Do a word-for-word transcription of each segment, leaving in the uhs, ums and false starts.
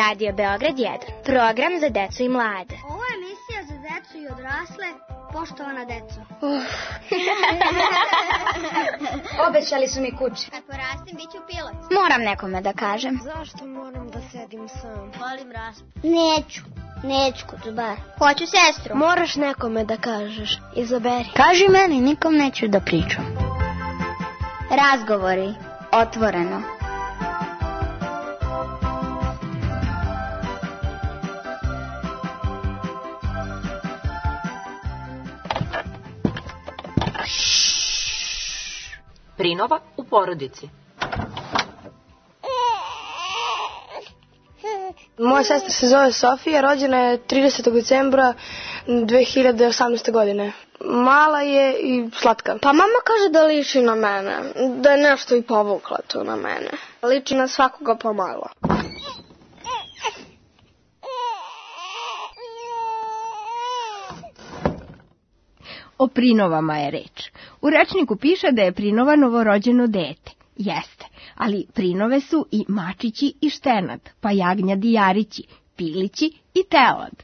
Radio Beograd jedan, program za decu i mlade. Ovo je emisija za decu i odrasle, poštovana deco. Uh. Obećali su mi kući. Kad porastim, bit ću pilot. Moram nekome da kažem. Zašto moram da sedim sam? Volim raspad. Neću, neću kod bar. Hoću sestru. Moraš nekome da kažeš, izaberi. Kaži meni, nikom neću da pričam. Razgovori, otvoreno. Prinova u porodici. Moja sestra se zove Sofija, rođena je tridesetog decembra dve hiljade osamnaeste. godine. Mala je i slatka. Pa mama kaže da liči na mene, da je nešto i povukla to na mene. Liči na svakoga pomalo. O prinovama je reč. U rečniku piše da je prinova novorođeno dete. Jeste, ali prinove su i mačići i štenad, pa jagnjadi jarići, pilići i telad.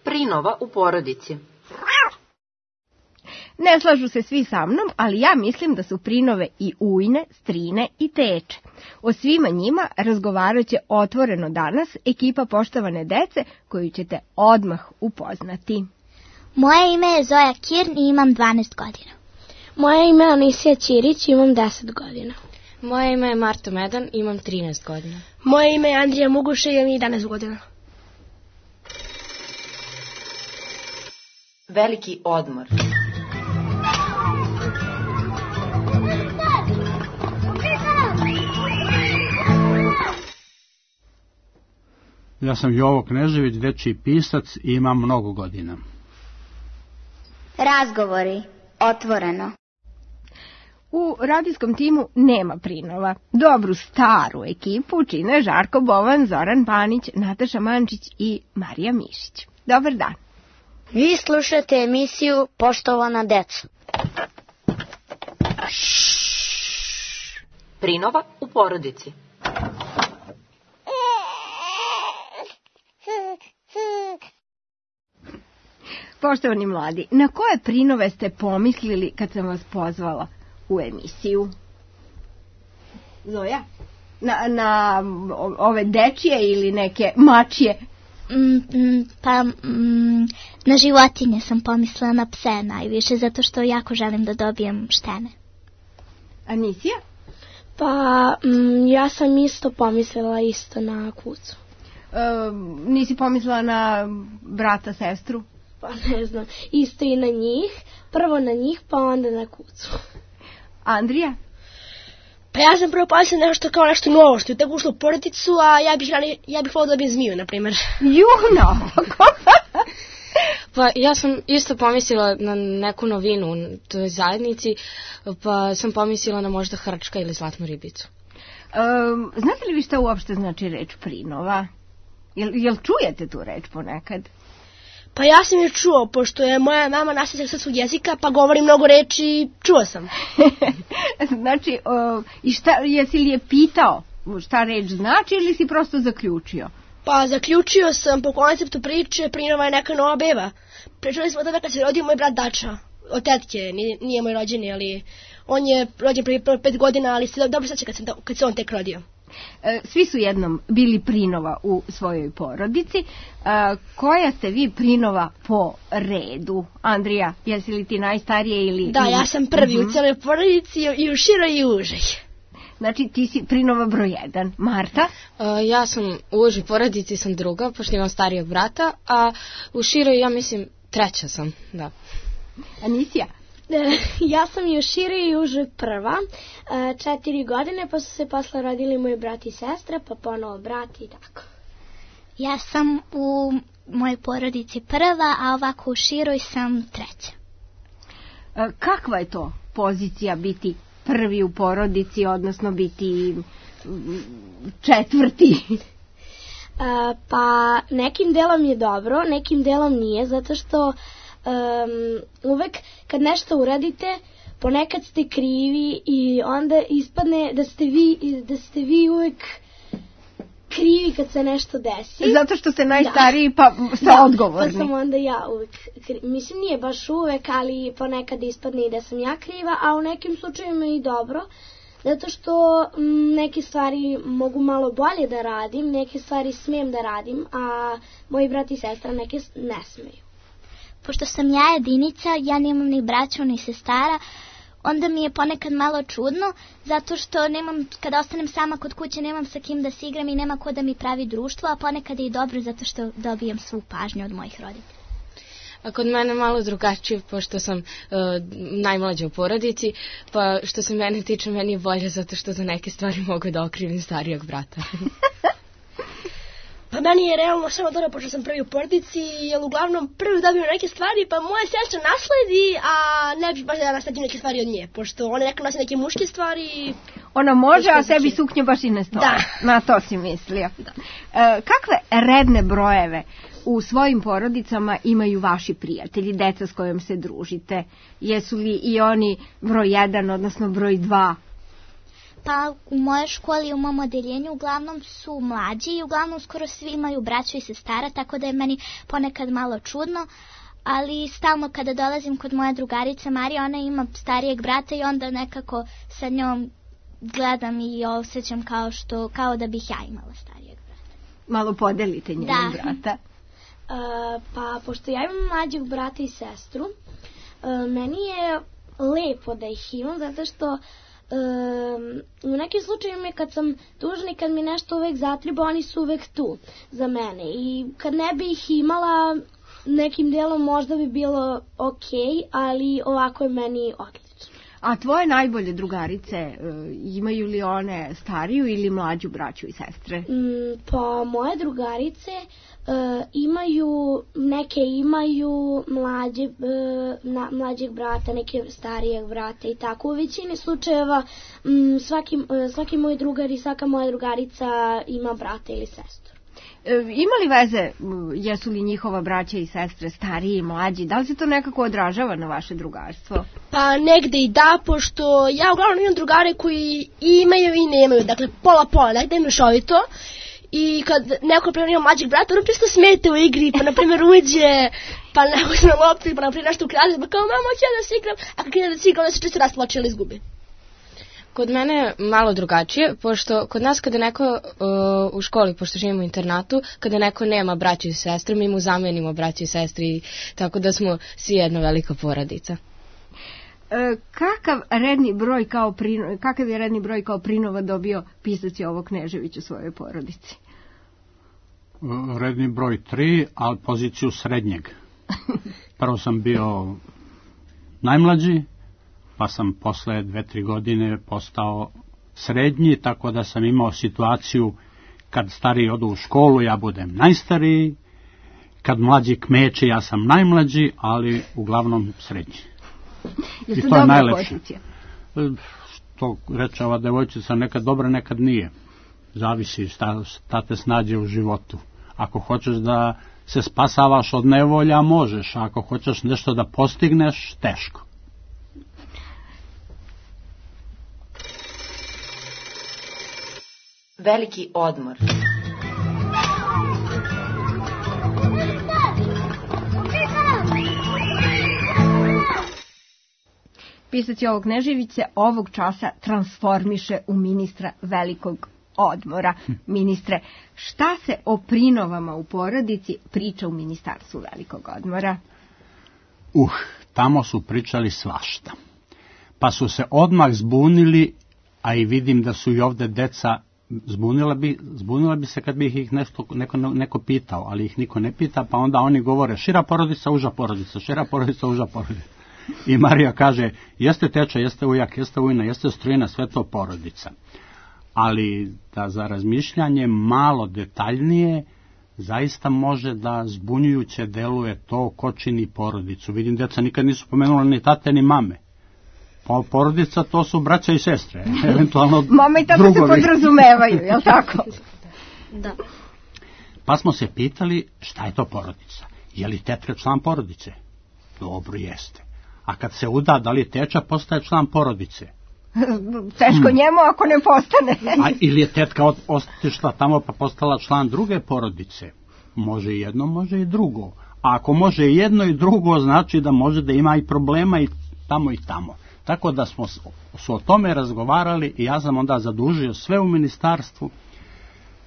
Prinova u porodici. Ne slažu se svi sa mnom, ali ja mislim da su prinove i ujne, strine i teče. O svima njima razgovarat će otvoreno danas ekipa poštovane dece koju ćete odmah upoznati. Moje ime je Zoja Kirn i imam dvanaest godina. Moje ime je Anisija Ćirić i imam deset godina. Moje ime je Marta Medan i imam trinaest godina. Moje ime je Andrija Muguša i imam jedanaest godina. Veliki odmor. Ja sam Jovo Knežević, dečiji pisac i imam mnogo godina. Razgovori, otvoreno. U radijskom timu nema prinova. Dobru staru ekipu čine Žarko Bovan, Zoran Panić, Nataša Mančić i Marija Mišić. Dobar dan. Vi slušate emisiju Poštovana deca. Prinova u porodici. Poštovani mladi, na koje prinove ste pomislili kad sam vas pozvala u emisiju? Zoja? Na, na ove dečije ili neke mačije? Mm, mm, pa mm, na životinje sam pomislila, na pse najviše, zato što jako želim da dobijem štene. Anisija? Pa mm, ja sam isto pomislila isto na kucu. E, nisi pomislila na brata, sestru? Pa ne znam, isto i na njih, prvo na njih pa onda na kucu. Andrija? Pa ja sam prvo pomislila nešto kao nešto novo što je tako ušlo u porodicu, a ja bih, ja bih volila da dobijem zmiju, na primjer. Juno! Pa ja sam isto pomislila na neku novinu u toj zajednici, pa sam pomislila na možda hrčka ili zlatnu ribicu. Um, znate li vi šta uopšte znači reč prinova? Jel, jel čujete tu reč ponekad? Pa ja sam je čuo, pošto je moja mama nastavnik srpskog jezika, pa govori mnogo reči, čuo sam. Znači, o, i šta, jesi li je pitao šta reč znači ili si prosto zaključio? Pa zaključio sam po konceptu priče, prinova je neka nova beba. Pričali smo tada kad se rodio moj brat Dača, od tetke, nije, nije moj rođeni, ali on je rođen prije pet godina, ali se dobro seća kad, kad se on tek rodio. Svi su jednom bili prinova u svojoj porodici. Koja ste vi prinova po redu? Andrija, jesi li ti najstarije ili... Da, ja sam prvi uh-huh. u cijeloj porodici i u široj i užoj. Znači ti si prinova broj jedan. Marta? Uh, ja sam u užoj porodici, sam druga, pošto imam starijeg brata, a u široj ja mislim treća sam, da. Anisija? Ja sam i u široj i užoj prva, četiri godine, pa su se posle rodili moji brat i sestra, pa ponovo brat i tako. Ja sam u mojoj porodici prva, a ovako u široj sam treća. Kakva je to pozicija biti prvi u porodici, odnosno biti četvrti? Pa nekim delom je dobro, nekim delom nije, zato što um, uvek kad nešto uradite, ponekad ste krivi i onda ispadne da ste vi, da ste vi uvek krivi kad se nešto desi. Zato što ste najstariji da. Pa ste da, odgovorni. Pa sam onda ja uvek krivi. Mislim, nije baš uvek, ali ponekad ispadne i da sam ja kriva, a u nekim slučajima i dobro. Zato što m, neke stvari mogu malo bolje da radim, neke stvari smijem da radim, a moji brat i sestra neke ne smeju. Pošto sam ja jedinica, ja nemam ni braću ni sestara, onda mi je ponekad malo čudno, zato što nemam, kada ostanem sama kod kuće, nemam sa kim da se igram i nema ko da mi pravi društvo, a ponekad je i dobro zato što dobijam svu pažnju od mojih roditelja. A kod mene malo drugačije, pošto sam uh, najmlađa u porodici, pa što se mene tiče, meni je bolje zato što za neke stvari mogu da okrivim starijeg brata. Pa meni je realno samo dobro, pošto sam prvi u porodici, jer uglavnom prvi dobiju neke stvari, pa moja sestra nasledi, a ne bi baš da nasledim neke stvari od nje, pošto ona neka nasledi neke muške stvari. Ona može, a sebi suknje baš i ne stoje. Da. Na to si mislio. Da. E, kakve redne brojeve u svojim porodicama imaju vaši prijatelji, deca s kojom se družite? Jesu li i oni broj jedan, odnosno broj dva? Pa u mojoj školi, u mom odeljenju, uglavnom su mlađi i uglavnom skoro svi imaju braću i sestara, tako da je meni ponekad malo čudno, ali stalno kada dolazim kod moje drugarice Marije, ona ima starijeg brata i onda nekako sa njom gledam i osjećam kao, što, kao da bih ja imala starijeg brata. Malo podelite njenog brata. Uh, pa pošto ja imam mlađeg brata i sestru, uh, meni je lepo da ih imam, zato što Um, u nekim slučajima kad sam tužna i kad mi nešto uvek zatriba, oni su uvek tu za mene i kad ne bi ih imala nekim delom možda bi bilo ok, ali ovako je meni odlično. A tvoje najbolje drugarice, imaju li one stariju ili mlađu braću i sestre? Mm, pa moje drugarice uh, imaju, neke imaju mlađe, uh, na, mlađeg brata, neke starijeg brata i tako. U većini slučajeva um, svaki, uh, svaki moj drugar i svaka moja drugarica ima brata ili sestru. Ima li veze, jesu li njihova braća i sestre stariji i mlađi? Da li se to nekako odražava na vaše drugarstvo? Pa negde i da, pošto ja uglavnom imam drugare koji imaju i nemaju, dakle pola pola, negde imaju šovito. I kad neko primjer ima mlađeg brata, ono čisto smete u igri, pa na primjer uđe, pa neko se na lopti, pa na primjer nešto ukrade, pa kao mama hoće da se igram, a kad krene da se igra, onda se čisto rasplače ili izgubi. Kod mene malo drugačije, pošto kod nas kada neko uh, u školi, pošto živimo u internatu, kada neko nema braće i sestre, mi mu zamenimo braće i sestri, tako da smo svi jedna velika porodica. E, kakav redni broj kao prino, kakav je redni broj kao prinova dobio pisac Jovo Knežević u svojoj porodici? Redni broj tri, ali poziciju srednjeg. Prvo sam bio najmlađi, pa sam posle dve, tri godine postao srednji, tako da sam imao situaciju kad stariji odu u školu, ja budem najstariji, kad mlađi kmeče, ja sam najmlađi, ali uglavnom srednji. Je to dobra pozicija? Što reče ova devojčica, nekad dobra, nekad nije. Zavisi šta, šta te snađe u životu. Ako hoćeš da se spasavaš od nevolja, možeš. Ako hoćeš nešto da postigneš, teško. Veliki odmor. Pisac Jovo Knežević se ovog časa transformiše u ministra velikog odmora. Ministre, šta se o prinovama u porodici priča u ministarstvu velikog odmora? Uh, tamo su pričali svašta. Pa su se odmah zbunili, a i vidim da su i ovde deca zbunila bi, zbunila bi se kad bi ih nešto, neko, neko pitao, ali ih niko ne pita, pa onda oni govore šira porodica, uža porodica, šira porodica, uža porodica. I Marija kaže, jeste teča, jeste ujak, jeste ujna, jeste strujina, sve to porodica. Ali da za razmišljanje malo detaljnije, zaista može da zbunjujuće deluje to ko čini porodicu. Vidim, deca nikad nisu pomenula ni tate ni mame. Pa porodica to su braća i sestre, eventualno drugovi. Mama i tata se podrazumevaju, jel tako? Da. Pa smo se pitali šta je to porodica. Je li tetka član porodice? Dobro, jeste. A kad se uda, da li teča postaje član porodice? Teško hmm. njemu ako ne postane. A ili je tetka otišla tamo pa postala član druge porodice? Može i jedno, može i drugo. A ako može i jedno i drugo, znači da može da ima i problema i tamo i tamo. Tako da smo su o tome razgovarali i ja sam onda zadužio sve u ministarstvu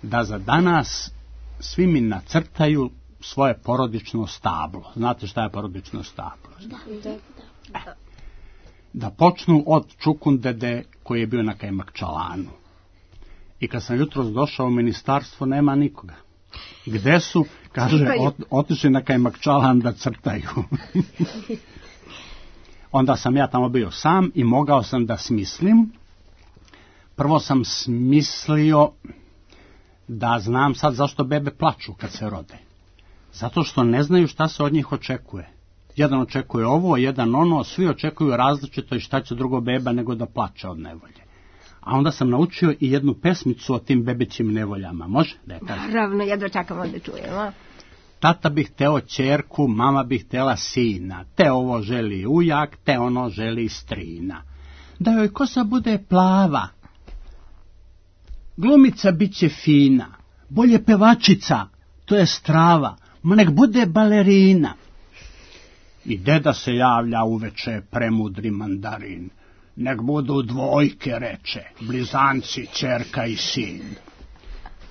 da za danas svi mi nacrtaju svoje porodično stablo. Znate šta je porodično stablo? Da, da, da. Da počnu od Čukundede koji je bio na Kajmakčalanu. I kad sam jutros došao u ministarstvo, nema nikoga. Gde su? Kaže, ot, otišli na Kajmakčalan da crtaju. Onda sam ja tamo bio sam i mogao sam da smislim. Prvo sam smislio da znam sad zašto bebe plaču kad se rode. Zato što ne znaju šta se od njih očekuje. Jedan očekuje ovo, jedan ono, svi očekuju različito i šta će drugo beba nego da plače od nevolje. A onda sam naučio i jednu pesmicu o tim bebećim nevoljama. Može? Da je kažem. Naravno, jedva čekamo da čujemo. Tata bi hteo ćerku, mama bi htela sina. Te ovo želi ujak, te ono želi strina. Da joj kosa bude plava. Glumica bit će fina. Bolje pevačica, to je strava. Ma nek bude balerina. I deda se javlja uveče, premudri mandarin. Nek budu dvojke, reče, blizanci, ćerka i sin.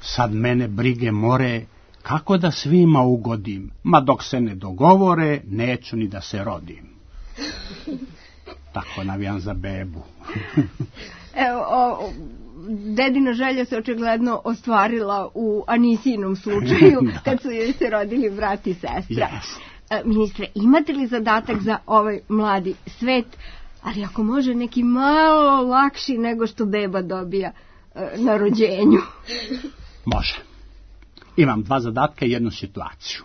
Sad mene brige more, kako da svima ugodim, ma dok se ne dogovore, neću ni da se rodim. Tako navijam za bebu. Evo, o, dedina želja se očigledno ostvarila u Anisinom slučaju, kad su joj se rodili brat i sestra. Yes. E, ministre, imate li zadatak za ovaj mladi svet, ali ako može neki malo lakši nego što beba dobija e, na rođenju? Može. Imam dva zadatka i jednu situaciju.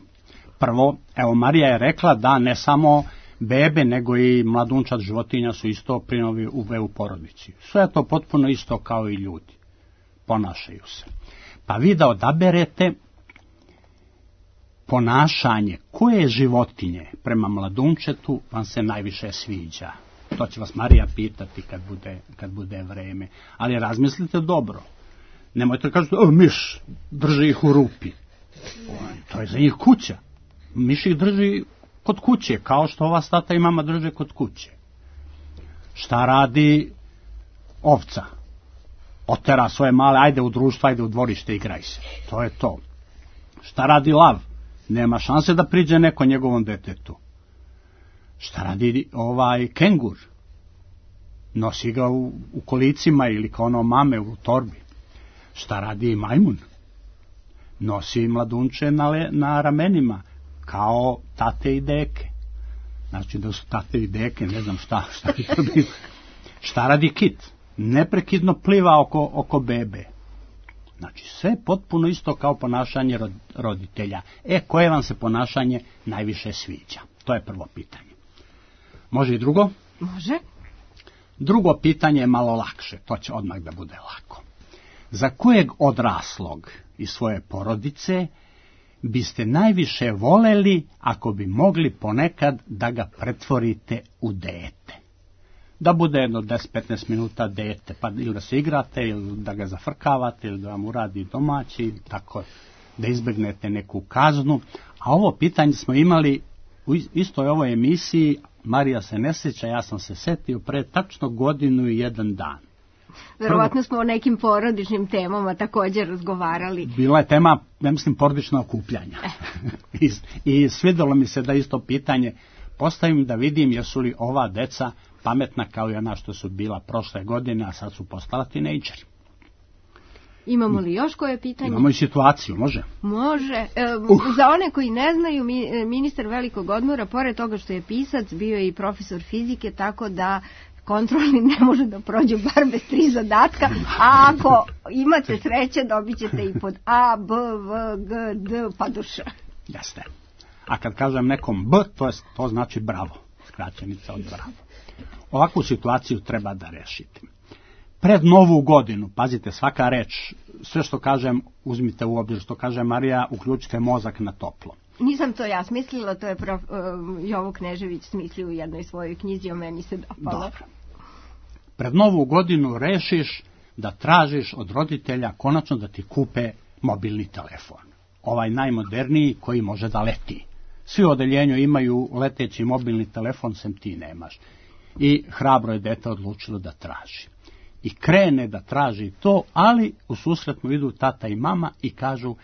Prvo, evo Marija je rekla da ne samo bebe, nego i mladunčad životinja su isto prinovi u, u porodici. Sve je to potpuno isto kao i ljudi. Ponašaju se. Pa vi da odaberete ponašanje koje životinje prema mladunčetu vam se najviše sviđa. To će vas Marija pitati kad bude, kad bude vreme. Ali razmislite dobro. Nemojte kažete, o, miš, drži ih u rupi. O, to je za njih kuća. Miš ih drži kod kuće, kao što ova tata i mama drže kod kuće. Šta radi ovca? Otera svoje male, ajde u društvo, ajde u dvorište, igraj se. To je to. Šta radi lav? Nema šanse da priđe neko njegovom detetu. Šta radi ovaj kengur? Nosi ga u, u kolicima ili kao ono mame u torbi. Šta radi majmun? Nosi mladunče na, le, na ramenima, kao tate i deke. Znači da su tate i deke, ne znam šta, šta bi to bilo. Šta radi kit? Neprekidno pliva oko, oko bebe. Znači sve potpuno isto kao ponašanje roditelja. E, koje vam se ponašanje najviše sviđa? To je prvo pitanje. Može i drugo? Može. Drugo pitanje je malo lakše, to će odmah da bude lako. Za kojeg odraslog iz svoje porodice biste najviše voleli ako bi mogli ponekad da ga pretvorite u dete? Da bude jedno deset do petnaest minuta dete, pa ili da se igrate, ili da ga zafrkavate, ili da vam uradi domaći, tako da izbegnete neku kaznu. A ovo pitanje smo imali u istoj ovoj emisiji, Marija se ne sjeća, ja sam se setio pre tačno godinu i jedan dan. Verovatno smo o nekim porodičnim temama također razgovarali. Bila je tema, ja mislim, porodična okupljanja. I, I svidjelo mi se da isto pitanje postavim da vidim jesu li ova deca pametna kao i ona što su bila prošle godine, a sad su postala tinejdžeri. Imamo li još koje pitanje? Imamo i situaciju, može? Može. E, uh. Za one koji ne znaju, ministar velikog odmora, pored toga što je pisac, bio je i profesor fizike, tako da kontrolni ne može da prođe bar bez tri zadatka, a ako imate sreće dobit ćete i pod A, B, V, G, D, pa do Š. Jeste. A kad kažem nekom B, to, je, to znači bravo, skraćenica od bravo. Ovakvu situaciju treba da rešite. Pred novu godinu, pazite, svaka reč, sve što kažem, uzmite u obzir što kaže Marija, uključite mozak na toplo. Nisam to ja smislila, to je prof, uh, Jovo Knežević smislio u jednoj svojoj knjizi, o meni se dopalo. Dobro. Pred novu godinu rešiš da tražiš od roditelja konačno da ti kupe mobilni telefon. Ovaj najmoderniji koji može da leti. Svi u odeljenju imaju leteći mobilni telefon, sem ti nemaš. I hrabro je dete odlučilo da traži. I krene da traži to, ali u susret mu idu tata i mama i kažu: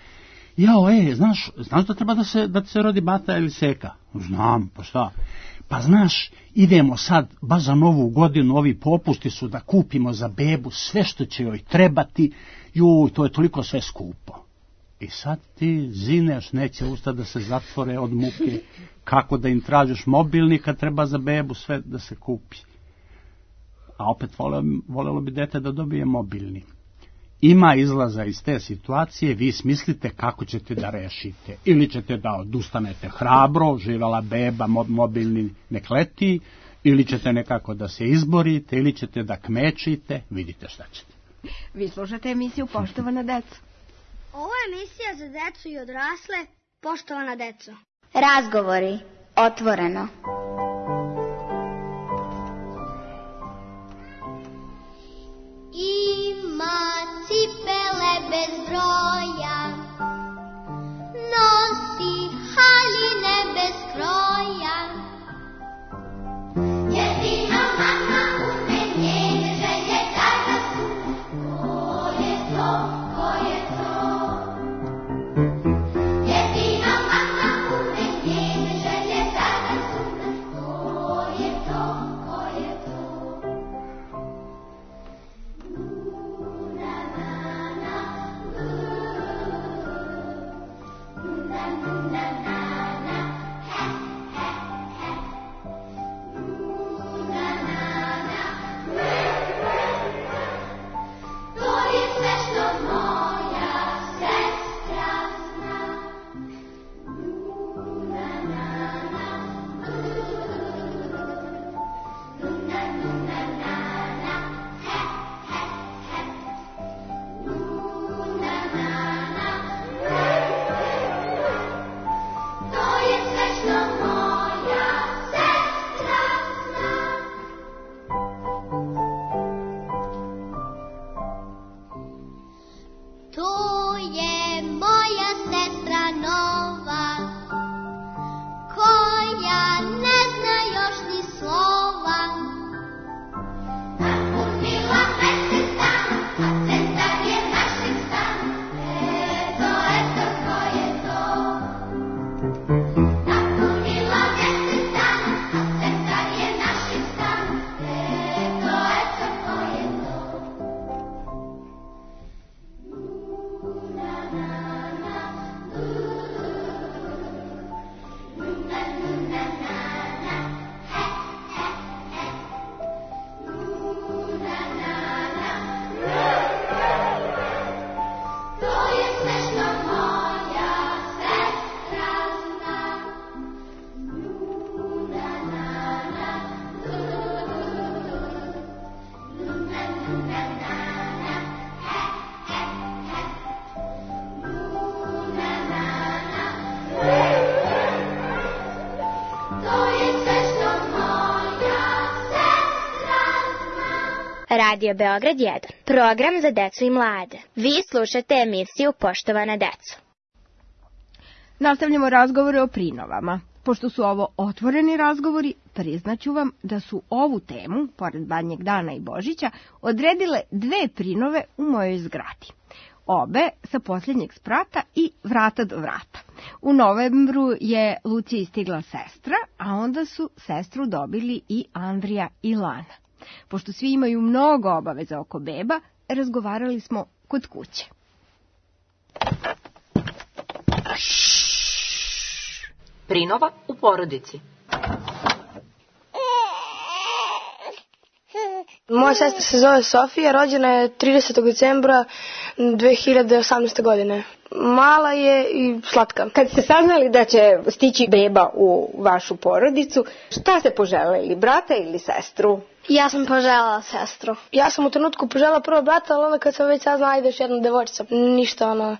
jao, e, znaš, znaš da treba da se, da se rodi bata ili seka? Znam, pa šta? Pa znaš, idemo sad, baš za novu godinu, ovi popusti su da kupimo za bebu sve što će joj trebati, juj, to je toliko sve skupo. I sad ti zineš, neće usta da se zatvore od muke, kako da im tražiš mobilni kad treba za bebu sve da se kupi. A opet volelo, volelo bi dete da dobije mobilni. Ima izlaza iz te situacije, vi smislite kako ćete da rešite. Ili ćete da odustanete hrabro, živela beba, mobilni nek leti, ili ćete nekako da se izborite, ili ćete da kmečite, vidite šta ćete. Vi slušate emisiju Poštovana deco. Ovo je emisija za decu i odrasle, Poštovana deco. Razgovori, otvoreno. Ima cipele bez broja, nosi haljine bez kroja. Jedina mama ume njene želje da razume. Ko je to, ko je to? Jedina mama ume njene želje da razume. Ko je to, ko je to? Radio Beograd jedan. Program za decu i mlade. Vi slušate emisiju Poštovana deco. Nastavljamo razgovore o prinovama. Pošto su ovo otvoreni razgovori, priznaću vam da su ovu temu, pored Badnjeg dana i Božića, odredile dve prinove u mojoj zgradi. Obe sa posljednjeg sprata i vrata do vrata. U novembru je Luciji stigla sestra, a onda su sestru dobili i Andrija i Lana. Pošto svi imaju mnogo obaveza oko beba, razgovarali smo kod kuće. Prinova u porodici. Moja sestra se zove Sofija, rođena je tridesetog decembra dve hiljade osamnaeste. godine. Mala je i slatka. Kad ste saznali da će stići beba u vašu porodicu, šta ste poželeli, brata ili sestru? Ja sam poželjela sestru. Ja sam u trenutku poželjela prvo brata, ali onda kad sam već saznala, ajde još jedna devojčica. Ništa, ono,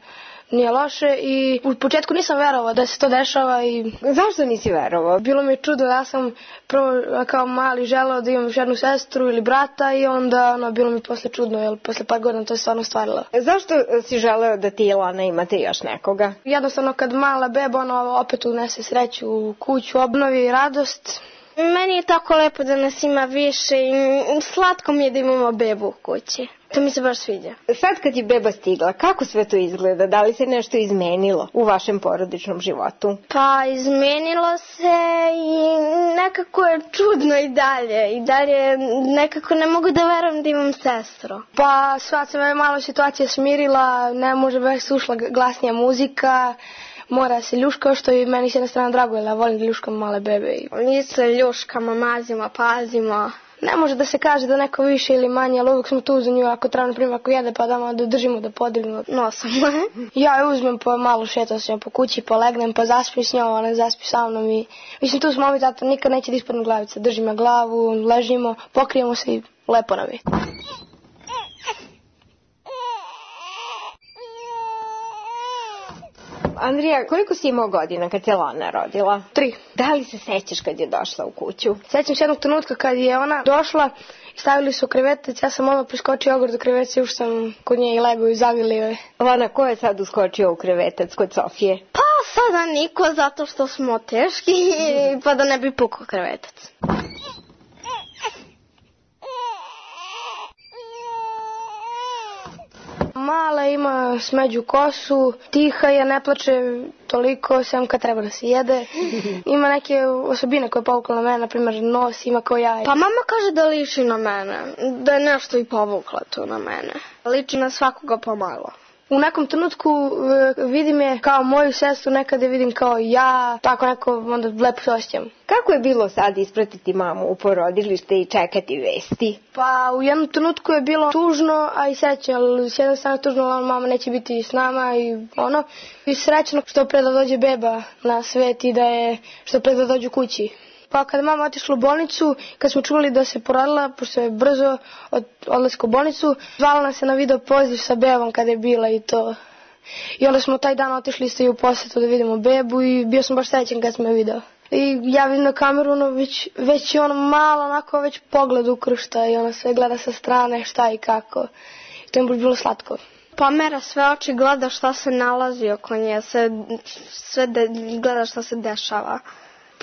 nije loše i u početku nisam verovao da se to dešava i... Zašto nisi verovao? Bilo mi je čudno, ja sam prvo kao mali želeo da imam još jednu sestru ili brata i onda ono, bilo mi posle čudno, jer posle par godina to je stvarno stvarilo. Zašto si želeo da ti i Lana imate još nekoga? Jednostavno kad mala beba ono, opet unese sreću u kuću, obnovi radost. Meni je tako lepo da nas ima više i slatko mi je da imamo bebu u kući. To mi se baš sviđa. Sad kad je beba stigla, kako sve to izgleda? Da li se nešto izmenilo u vašem porodičnom životu? Pa izmenilo se i nekako je čudno i dalje. I dalje nekako ne mogu da verujem da imam sestru. Pa sad se me malo situacija smirila, ne može baš slušla glasnija muzika. Mora se ljuška, što i meni s jedne strane drago, jer ja volim da ljuškam male bebe. Mi se ljuškamo, mazimo, pazimo. Ne može da se kaže da neko više ili manje, ali uvijek smo tu za nju, ako treba, na primjer, ako jede, pa da da držimo, da podignemo nosom. Ja je uzmem, pa malo šetam s njom po kući, polegnem, pa zaspim s njom, ona zaspi sa mnom i... Mislim, tu smo ovi tata, nikad neće da ispadne glavica. Držim ja glavu, ležimo, pokrijemo se i lepo nam je. Andrija, koliko si imao godina kad se Lana rodila? Tri. Da li se sećaš kad je došla u kuću? Sećam se jednog trenutka kad je ona došla i stavili su krevetec, ja sam odmah priskočio ogor do krevetca i už sam kod nje i lego i zagrlio je. Lana, ko je sad uskočio u krevetac kod Sofije? Pa sada niko, zato što smo teški pa da ne bi pukao krevetac. Mala ima smeđu kosu, tiha je, ne plače toliko, sem kad treba da se jede. Ima neke osobine koje je povukla na mene, na primjer nos ima kao ja. Pa mama kaže da liči na mene, da je nešto i povukla tu na mene. Liči na svakoga pomalo. U nekom trenutku vidim je kao moju sestru, nekada je vidim kao ja, tako neko onda lepo se osjećam. Kako je bilo sad ispratiti mamu u porodilište i čekati vesti? Pa u jednom trenutku je bilo tužno, a i srećno, ali s jedne strane tužno, ali mama neće biti s nama i ono. I srećno što pre da dođe beba na svet i da je što pre da dođe kući. Pa kada mama otišla u bolnicu, kad smo čuli da se porodila, pošto je brzo od odlaska u bolnicu, zvala nas se na video poziv sa bebom kada je bila i to. I onda smo taj dan otišli isto i u posjetu da vidimo bebu i bio sam baš srećan kad smo je video. I ja vidim na kameru, ono, već, već je ono malo, onako već pogled ukršta i ona se gleda sa strane šta i kako. I to je bilo slatko. Pomera sve oči, gleda šta se nalazi oko nje, sve, sve de, gleda šta se dešava.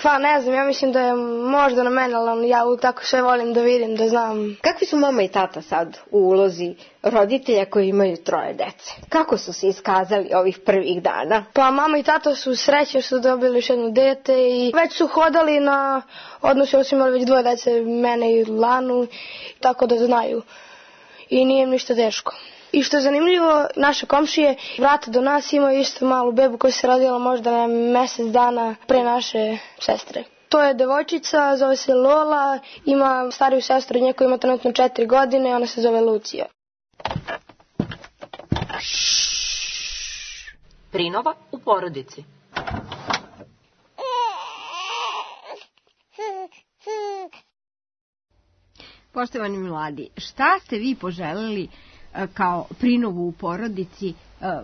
Pa ne znam, ja mislim da je možda na mene, ali ja uvijek tako sve volim da vidim, da znam. Kakvi su mama i tata sad u ulozi roditelja koji imaju troje dece? Kako su se iskazali ovih prvih dana? Pa mama i tata su sreće što su dobili još jedno dete i već su hodali na odnosu, su imali već dvoje dece, mene i Lanu, tako da znaju. I nije im ništa teško. I što je zanimljivo, naše komšije vrata do nas imaju isto malu bebu koja se rodila možda na mjesec dana pre naše sestre. To je devojčica, zove se Lola, ima stariju sestru, nje koja ima trenutno četiri godine, ona se zove Lucija. Prinova u porodici. Poštovani mladi, šta ste vi poželeli kao prinovu u porodici,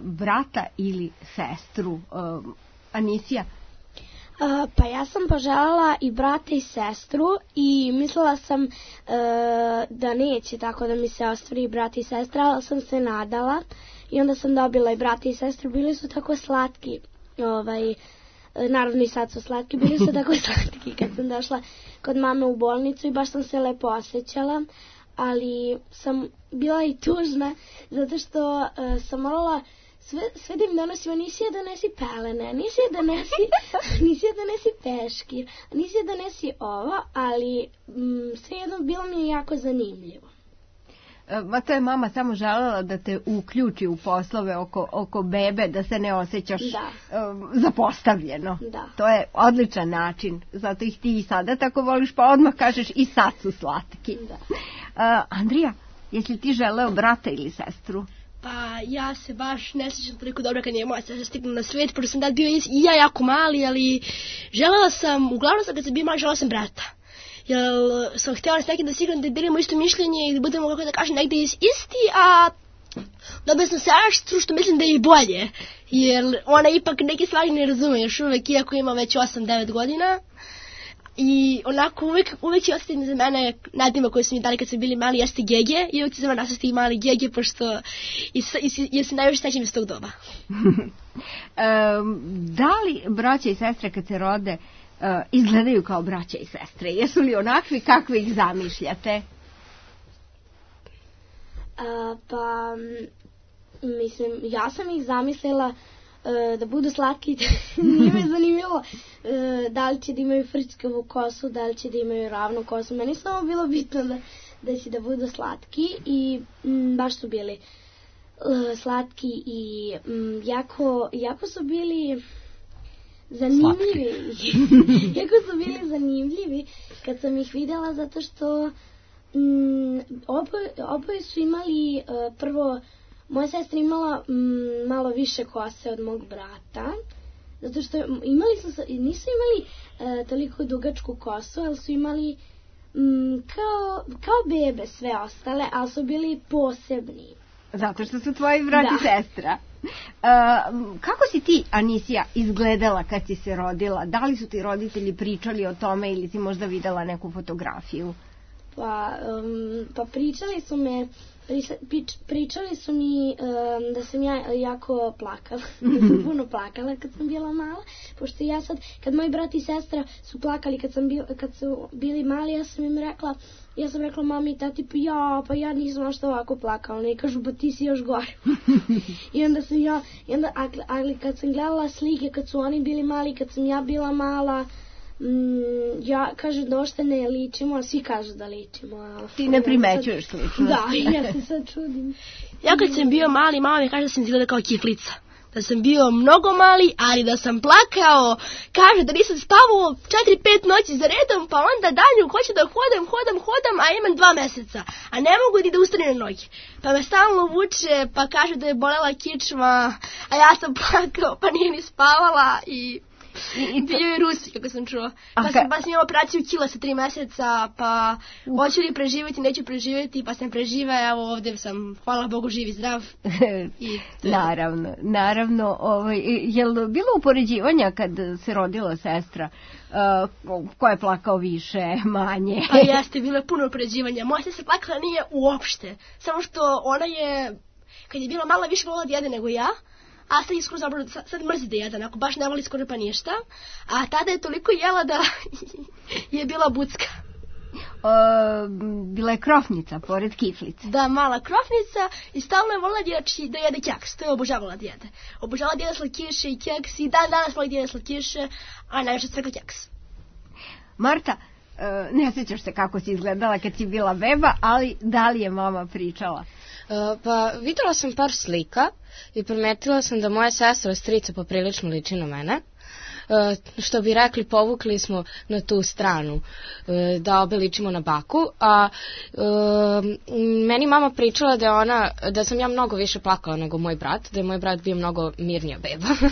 brata ili sestru? Anisija? Uh, pa ja sam poželjela i brata i sestru i mislila sam uh, da neće tako da mi se ostvari brata i sestra, ali sam se nadala i onda sam dobila i brata i sestru, bili su tako slatki, ovaj, naravno i sad su slatki, bili su tako slatki kad sam došla kod mame u bolnicu i baš sam se lepo osjećala, ali sam bila i tužna zato što uh, sam morala sve, sve da im donosim, Anisija donesi pelene, Anisija donesi, Anisija donesi peškir, Anisija donesi ovo, ali mm, svejedno bilo mi je jako zanimljivo. Ma to je mama samo želela da te uključi u poslove oko, oko bebe, da se ne osjećaš da. um, zapostavljeno. Da. To je odličan način, zato ih ti i sada tako voliš, pa odmah kažeš i sad su slatki. Da. Uh, Andrija, jesi ti želeo brata ili sestru? Pa ja se baš ne sjećam toliko dobro kad je moja sestra stigla na svijet, pošto sam tad bio i ja jako mali, ali želela sam, uglavnom sam kad sam bio mali, želela sam brata. Jer sam htjela s nekim da sigurno da delimo isto mišljenje i da budemo, kako da kažem, negdje isti, a Dobila sam sestru što mislim da je i bolje, jer ona ipak neke stvari ne razume još uvek, iako ima već osam devet godina. I onako uvek, uvek će ostati za mene nadima koje su mi dali kad su bili mali jeste Gege i uvek će za mene ostati mali Gege pošto jer se najviše sećam iz tog doba. um, da li braća i sestre kad se rode uh, izgledaju kao braća i sestre? Jesu li onakvi kakvi ih zamišljate? A, pa, mislim, ja sam ih zamislila e, da budu slatki. Nije me zanimljivo e, da li će da imaju frčkavu kosu, da li će da imaju ravnu kosu. Meni samo bilo bitno da, da će da budu slatki i m, baš su bili e, slatki i m, jako, jako su bili zanimljivi. jako su bili zanimljivi kad sam ih videla zato što Mm, oboje, oboje su imali, uh, prvo, moja sestra imala mm, malo više kose od mog brata, zato što imali su, nisu imali uh, toliko dugačku kosu, ali su imali mm, kao, kao bebe sve ostale, ali su bili posebni. Zato što su tvoji brat i sestra. Uh, kako si ti, Anisija, izgledala kad si se rodila? Da li su ti roditelji pričali o tome ili si možda videla neku fotografiju? Pa, um, pa pričali su me, prič, pričali su mi um, da sam ja jako plakala, da sam puno plakala kad sam bila mala, pošto ja sad, kad moji brat i sestra su plakali kad, sam bil, kad su bili mali, ja sam im rekla, ja sam rekla mami i tati, pa ja, pa ja nisam možda ovako plakala, ne kažu, pa ti si još gore. I onda sam ja, i onda, ali kad sam gledala slike, kad su oni bili mali, kad sam ja bila mala, Mm, ja kažem da ošte ne ličimo, a svi kažu da ličimo. A ti ne primećuješ slično. Da, ja se sad čudim. Ja kad sam bio mali, mama mi kaže da sam izgleda kao kiflica. Da sam bio mnogo mali, ali da sam plakao. Kaže da nisam spavao četiri pet noći za redom, pa onda danju hoću da hodam, hodam, hodam, a imam dva meseca. A ne mogu ni da ustanem na noge. Pa me stalno vuče, pa kaže da je bolela kičma, a ja sam plakao, pa nije ni spavala i... I, i bio je Rusi, kako sam čuo. Pa sam, pa sam imala operaciju kila sa tri meseca, pa hoću li preživjeti, neću preživjeti, pa sam preživa, evo ovdje sam, hvala Bogu, živ i zdrav. I naravno, naravno. Ovaj, je li bilo upoređivanja kad se rodila sestra? Uh, ko je plakao više, manje? Pa jeste, bilo je puno upoređivanja. Moja sestra plakala nije uopšte. Samo što ona je, kad je bila mala, više volila da jede nego ja. A sad je skoro zapravo, sad mrzi da jede, onako, baš ne voli skoro pa ništa. A tada je toliko jela da je bila bucka. O, bila je krofnica, pored kiflice. Da, mala krofnica i stalno je volila da jede keks, to je obožavala da jede. Obožavala da jede slatkiše i keks i dan danas voli da jede slatkiše, a najviše svega keks. Marta, ne sjećaš se kako si izgledala kad si bila beba, ali da li je mama pričala? Uh, pa videla sam par slika i primetila sam da moja sestra strica poprilično liči na mene. Uh, što bi rekli, povukli smo na tu stranu, uh, da obe ličimo na baku, a uh, meni mama pričala da je ona, da sam ja mnogo više plakala nego moj brat, da je moj brat bio mnogo mirnija beba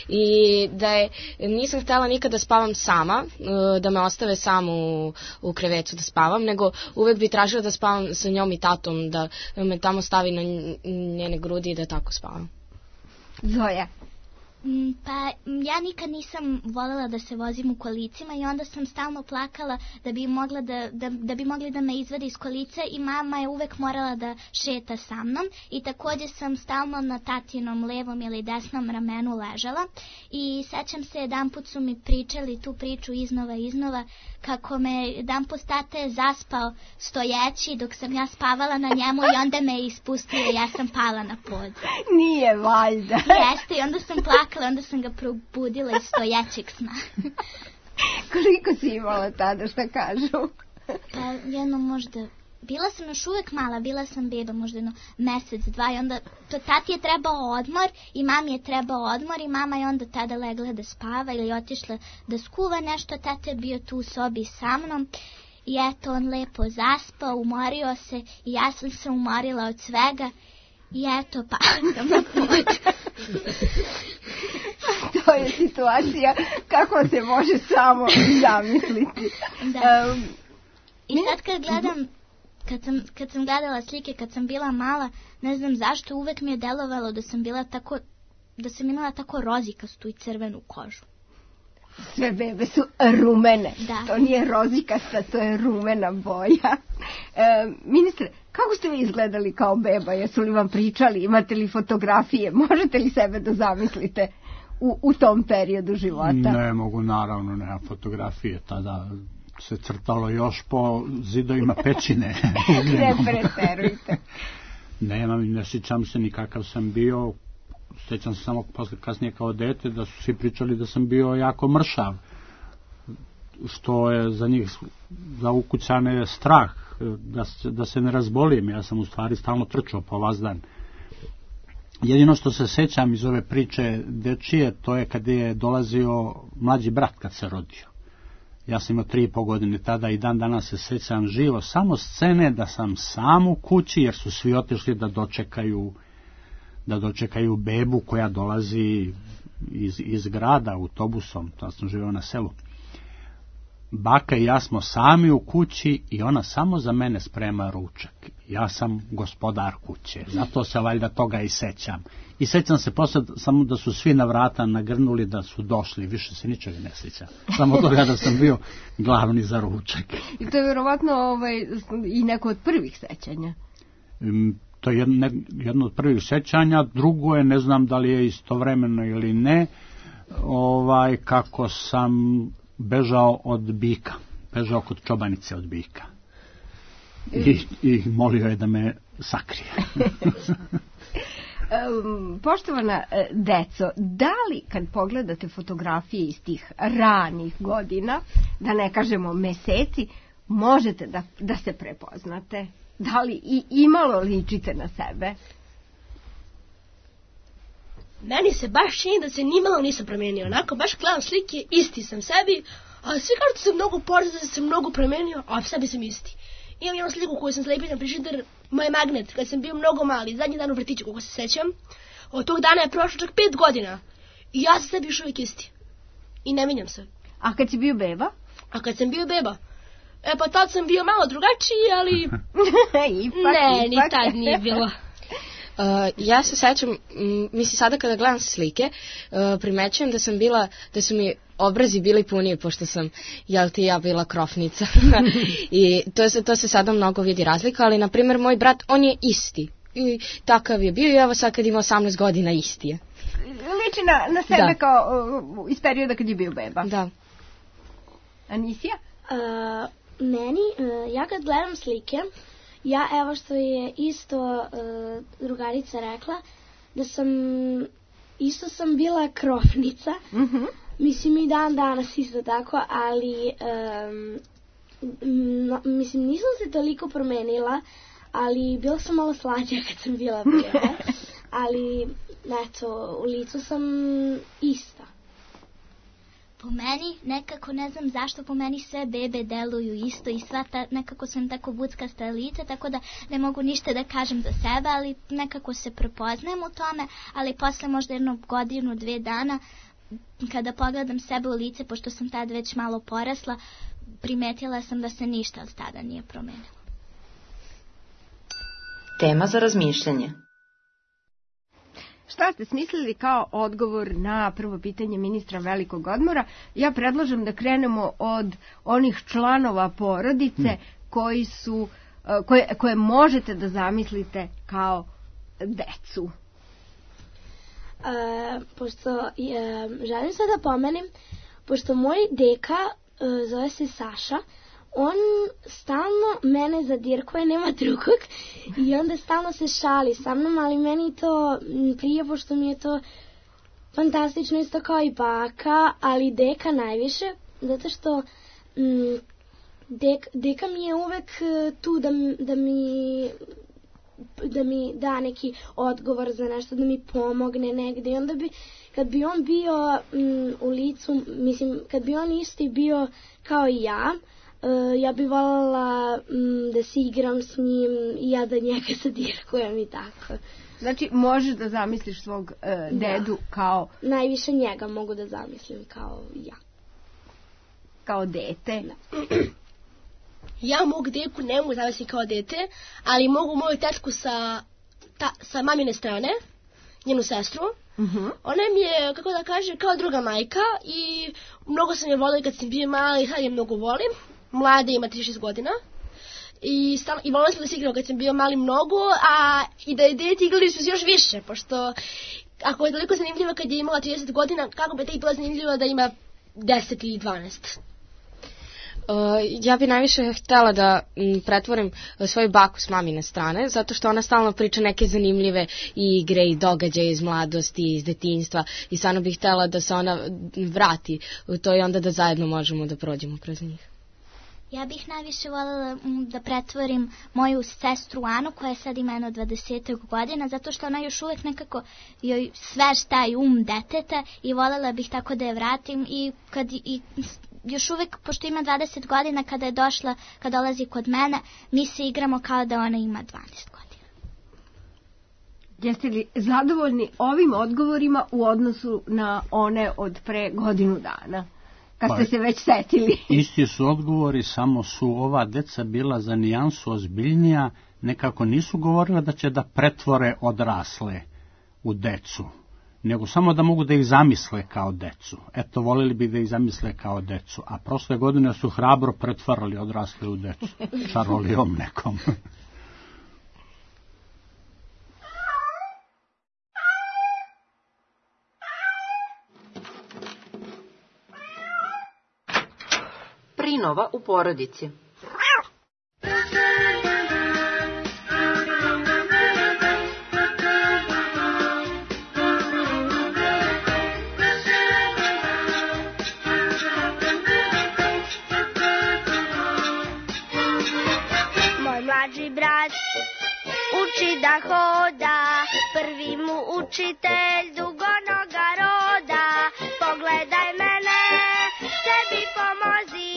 i da je, nisam htjela nikada da spavam sama, uh, da me ostave samu u, u krevetu da spavam, nego uvek bi tražila da spavam sa njom i tatom, da me tamo stavi na njene grudi i da tako spavam. Zoja? Pa ja nikad nisam voljela da se vozim u kolicima i onda sam stalno plakala da bi, mogla da, da, da bi mogli da me izvade iz kolica i mama je uvek morala da šeta sa mnom i također sam stalno na tatinom levom ili desnom ramenu ležala i sećam se jedan put su mi pričali tu priču iznova iznova kako me jedan put tata je zaspao stojeći dok sam ja spavala na njemu i onda me je ispustio i ja sam pala na pod. Nije valjda. Jeste i onda sam plakala, onda sam ga probudila iz stojećeg sna. Koliko si imala tada, šta kažu? Pa jedno možda, bila sam još uvek mala, bila sam beba možda jedno mesec, dva i onda to, tati je trebao odmor i mami je trebao odmor i mama je onda tada legla da spava ili otišla da skuva nešto, tata je bio tu u sobi sa mnom. I eto, on lepo zaspao, umorio se i ja sam se umorila od svega i eto, pala sam na pod. To je situacija kako se može samo zamisliti. Da. Um, I sad kad gledam kad sam, kad sam gledala slike, kad sam bila mala, ne znam zašto, uvek mi je delovalo da sam bila tako, da sam imala tako rozikastu i crvenu kožu. Sve bebe su rumene. Da. To nije rozikasta, to je rumena boja. E, ministre, kako ste vi izgledali kao beba? Jesu li vam pričali? Imate li fotografije? Možete li sebe da zamislite u, u tom periodu života? Ne mogu, naravno, nema fotografije. Tada se crtalo još po zidovima pećine. Ne preterujte. Nemam, ne sjećam se ni kakav sam bio. Sjećam se samo posle kasnije kao dete da su svi pričali da sam bio jako mršav, što je za njih, za ukućane, strah da se, da se ne razbolim. Ja sam u stvari stalno trčao po vazdan. Jedino što se sjećam iz ove priče dečije, to je kad je dolazio mlađi brat kad se rodio. Ja sam imao tri i po godine tada i dan danas se sjećam živo samo scene da sam sam u kući jer su svi otišli da dočekaju da dočekaju bebu koja dolazi iz, iz grada autobusom, to sam živio na selu. Baka i ja smo sami u kući i ona samo za mene sprema ručak. Ja sam gospodar kuće, zato se valjda toga i sećam. I sećam se posle samo da su svi na vrata nagrnuli da su došli, više se ničega ne sećam. Samo toga da sam bio glavni za ručak. I to je vjerovatno ovaj, i neko od prvih sećanja. Um, To je jedno, jedno od prvih sećanja, drugo je, ne znam da li je istovremeno ili ne, ovaj, kako sam bežao od bika, bežao kod čobanice od bika. I, i molio je da me sakrije. Poštovana deco, da li kad pogledate fotografije iz tih ranih godina, da ne kažemo meseci, možete da, da se prepoznate? Da li i imalo ličite na sebe? Meni se baš čini da se nimalo nisam promijenio. Onako, baš gledam slike, isti sam sebi, a svi kažu da sam mnogo porezao, da sam mnogo promijenio, a sebi sam isti. Imam jednu sliku koju sam slepio na frižider, moj magnet, kad sam bio mnogo mali, zadnji dan u vrtiću, kako se sećam. Od tog dana je prošlo čak pet godina. I ja sam sebi još uvijek isti. I ne minjam se. A kad si bio beba? A kad sam bio beba? E pa tad sam bio malo drugačiji, ali... ipak, ne, ipak. ni tad nije bilo. Uh, ja se sećam, m, mislim sada kada gledam slike, uh, primećujem da sam bila, da su mi obrazi bili puniji, pošto sam, jel ti ja, bila krofnica. I to se, to se sada mnogo vidi razlika, ali na primjer moj brat, on je isti. I takav je bio i evo sad kad ima osamnaest godina isti je. Liči na, na sebe da. Kao uh, iz perioda kad je bio beba. Da. Anisija? Uh, meni, uh, ja kad gledam slike, ja, evo što je isto uh, drugarica rekla, da sam, isto sam bila krofnica, mm-hmm. mislim i dan danas isto tako, ali, um, no, mislim, nisam se toliko promenila, ali bila sam malo slađa kad sam bila beba, ali, eto, u licu sam ista. Po meni, nekako ne znam zašto, po meni sve bebe deluju isto i sva ta, nekako sam tako buckasta lica, tako da ne mogu ništa da kažem za sebe, ali nekako se prepoznajem u tome, ali posle možda jednu godinu, dve dana, kada pogledam sebe u lice, pošto sam tad već malo porasla, primetila sam da se ništa od tada nije promenilo. Tema za razmišljanje. Šta ste smislili kao odgovor na prvo pitanje ministra velikog odmora? Ja predlažem da krenemo od onih članova porodice hmm. koji su, koje, koje možete da zamislite kao decu. E, pošto e, želim sad da pomenem, pošto moj deka e, zove se Saša, on stalno mene zadirkuje, nema drugog, i onda stalno se šali sa mnom, ali meni to prije, pošto mi je to fantastično isto kao i baka, ali deka najviše, zato što m, dek, deka mi je uvek tu da, da mi da mi da neki odgovor za nešto, da mi pomogne negde, i onda bi, kad bi on bio m, u licu, mislim, kad bi on isti bio kao i ja, Uh, ja bih voljela um, da se igram s njim i ja da njega zadirkujem i tako. Znači, možeš da zamisliš svog uh, dedu da. Kao... Najviše njega mogu da zamislim kao ja. Kao dete. Da. ja mogu deku ne mogu zavesti kao dete, ali mogu moju tetku sa, ta, sa mamine strane, njenu sestru. Uh-huh. Ona mi je, kako da kaže, kao druga majka i mnogo sam je volila kad sam bio mala i sad je mnogo volim. Mlada ima trideset šest godina. I, stal, i volila sam da se igrao kad sam bio mali mnogo, a i da je dete igrali su se još više, pošto ako je toliko zanimljiva kad je imala trideset godina, kako bi tek bila zanimljiva da ima deset ili dvanaest? Uh, ja bi najviše htjela da m, pretvorim uh, svoju baku s mamine strane, zato što ona stalno priča neke zanimljive igre i događaje iz mladosti, iz detinjstva i stvarno bih htjela da se ona vrati u to i onda da zajedno možemo da prođemo kroz njih. Ja bih najviše voljela da pretvorim moju sestru Anu, koja sad ima jedno dvadesetak godina, zato što ona još uvijek nekako joj svež taj um deteta i voljela bih tako da je vratim i kad i još uvijek, pošto ima dvadeset godina, kada je došla, kada dolazi kod mene, mi se igramo kao da ona ima dvanaest godina. Jeste li zadovoljni ovim odgovorima u odnosu na one od pre godinu dana? Kad ste se već setili. Isti su odgovori, samo su ova deca bila za nijansu ozbiljnija, nekako nisu govorila da će da pretvore odrasle u decu, nego samo da mogu da ih zamisle kao decu. Eto, volili bi da ih zamisle kao decu, a prošle godine su hrabro pretvarali odrasle u decu, čarolijom nekom. Prinova u porodici. Moj mlađi brat uči da hoda, prvi mu učitelj dugonoga roda. Pogledaj mene, sebi pomozi,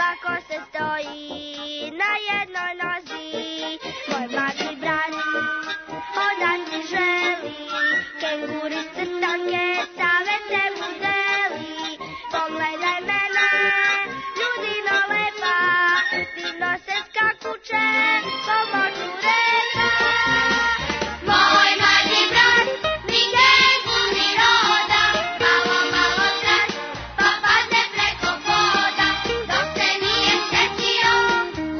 lako se stoji na jednoj nozi. Moj mlađi brat hodati želi, kenguri crtanke savete mu deli. Pogledaj mene, ljudino lepa, divno se skakuće, pomoću reka. Moj mlađi brat, ni kengur ni roda, malo, malo tras, pa padne preko voda. Dok se nije setio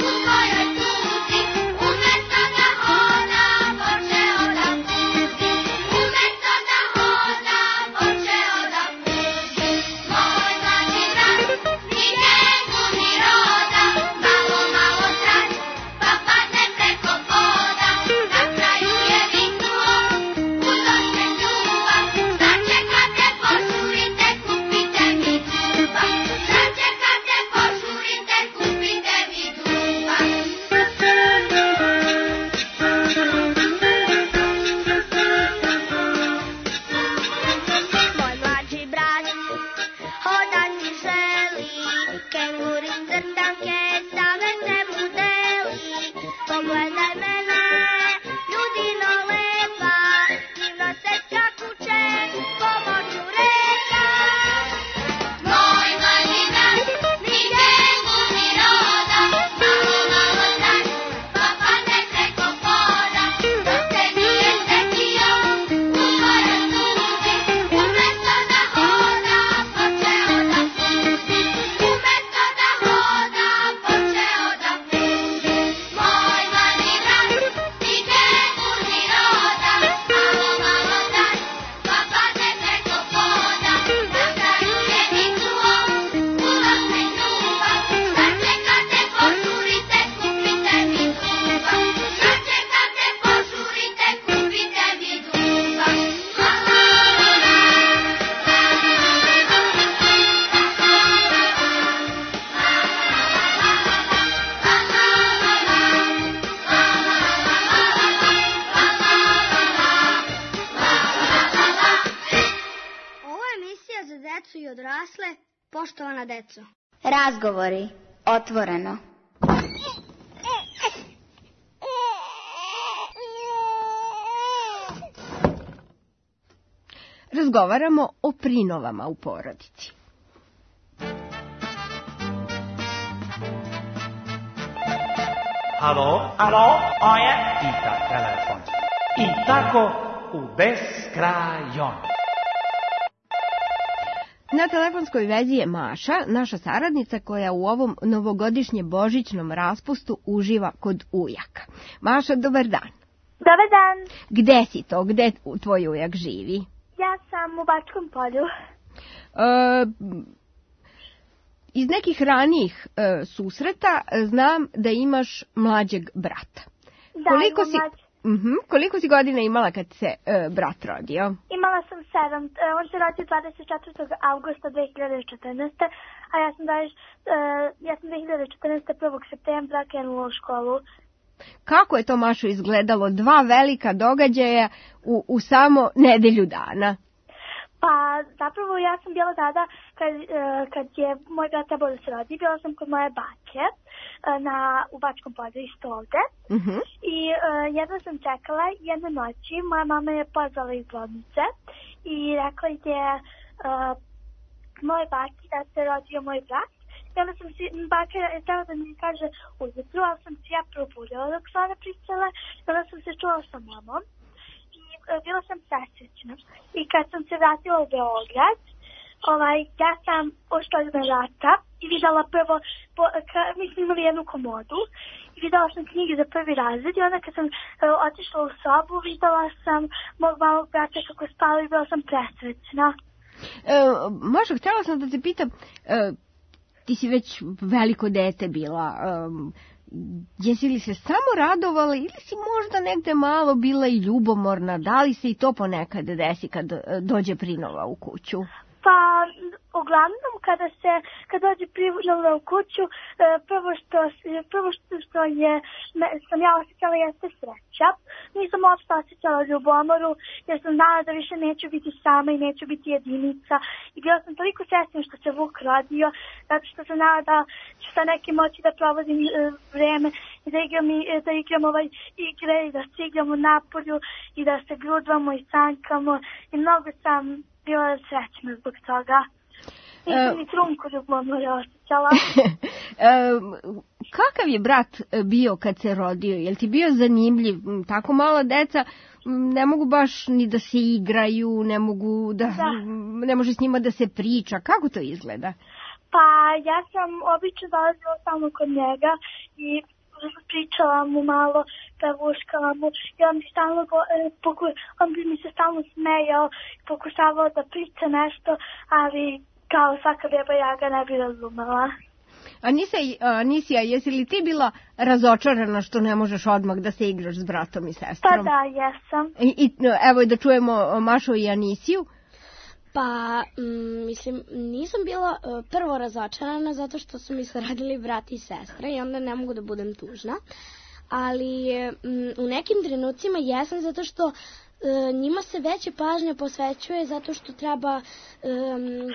u svojoj tuzi, umesto da hoda, počeo da puzi. Umesto da hoda, počeo da puzi. Moj mlađi brat, ni kengur ni roda, malo, malo tras, pa padne preko voda. Na kraju je viknuo, uzo se čuva, sačekate, požurite, kupite mi duva. Sačekate, požurite, kupite mi duva. Moj mlađi brat hodati želi, kenguri crtanke savete mu deli. Pogledaj mene, ljudino lepa, divno se skakuće, pomoću reka. Moj mlađi brat, ni kengur ni roda, malo, malo tras, pa padne preko voda. Dok se nije setio u svojoj tuzi, umesto da hoda, počeo da puzi. Umesto da hoda, počeo da puzi. Moj mlađi brat, ni kengur ni roda, malo, malo tras, pa padne preko voda. Na kraju je viknuo, uzo se čuva, sačekate, požurite, kupite mi duva. Sačekate, požurite, kupite mi duva. La la la la, la la Ovo je emisija za decu i odrasle, poštovana deco. Razgovori. Otvoreno. Razgovaramo o prinovama u porodici. alo, alo, oje, pita telefon. I tako u beskrajon. Na telefonskoj vezi je Maša, naša saradnica koja u ovom novogodišnjem božićnom raspustu uživa kod ujaka. Maša, dobar dan. Dobar dan. Gde si to? Gde tvoj ujak živi? Ja sam u Bačkom Polju. E, iz nekih ranijih e, susreta znam da imaš mlađeg brata. Da, koliko imam si, mlađ... uh-huh, koliko si godina imala kad se e, brat rodio? Imala sam sedam. On se rodio dvadeset četvrtog avgusta dve hiljade četrnaeste. A ja sam, daž, uh, ja sam dve hiljade četrnaeste. prvog septembra krenula u školu. Kako je to, Mašo, izgledalo? Dva velika događaja u, u samo nedelju dana. Pa zapravo ja sam bila tada kad, uh, kad je moj brat trebao da se rodi, bila sam kod moje bake uh, na, u Bačkom Polju isto ovde. Uh-huh. I uh, jedno sam čekala jedne noći, moja mama je pozvala iz bolnice i rekla je uh, moj baki da se rodio moj brat. I onda sam si, baka je htjela da mi kaže ujutru, ali sam se ja probudila dok su one pričale. I onda sam se čula sa mamom i uh, bila sam presrećna. I kad sam se vratila u Beograd, ovaj, ja sam ušla iz vrata i videla prvo, po, ka, mi smo imali jednu komodu i videla sam knjige za prvi razred i onda kad sam uh, otišla u sobu, videla sam mog malog brata kako spava i bila sam presrećna. E, Mašo, htjela sam da te pitam, e, ti si već veliko dete bila, um, jesi li se samo radovala ili si možda negde malo bila i ljubomorna? Da li se i to ponekad desi kad dođe prinova u kuću? Pa, uglavnom, kada se, kad dođe prinova u kuću, prvo što, prvo što je, sam ja osjećala jeste sreća. Nisam uopšte osjećala ljubomoru, jer sam znala da više neću biti sama i neću biti jedinica. I bila sam toliko srećna što se Vuk rodio, zato što sam znala da ću sa nekim moći da provodim e, vreme i da igram, i, da igram ovaj igre i da se igramo napolju i da se grudvamo i sankamo. I mnogo sam bila srećna zbog toga. Nisam ni trunku ljubomore osjećala. Kakav je brat bio kad se rodio? Je li ti bio zanimljiv? Tako mala deca ne mogu baš ni da se igraju, ne mogu da, da. ne može s njima da se priča. Kako to izgleda? Pa ja sam obično dolazila samo kod njega i pričala mu malo, pevuškala mu i on bi, stalno, poku, on bi mi se stalno smejao i pokušavao da priča nešto, ali kao svaka beba ja ga ne bi razumela. Anisija, jesi li ti bila razočarana što ne možeš odmah da se igraš s bratom i sestrom? Pa da, jesam. I, i evo da čujemo Mašo i Anisiju. Pa, m, mislim, nisam bila uh, prvo razočarana zato što su mi se radili brat i sestra i onda ne mogu da budem tužna. Ali m, u nekim trenucima jesam zato što uh, njima se veće pažnje posvećuje zato što treba um,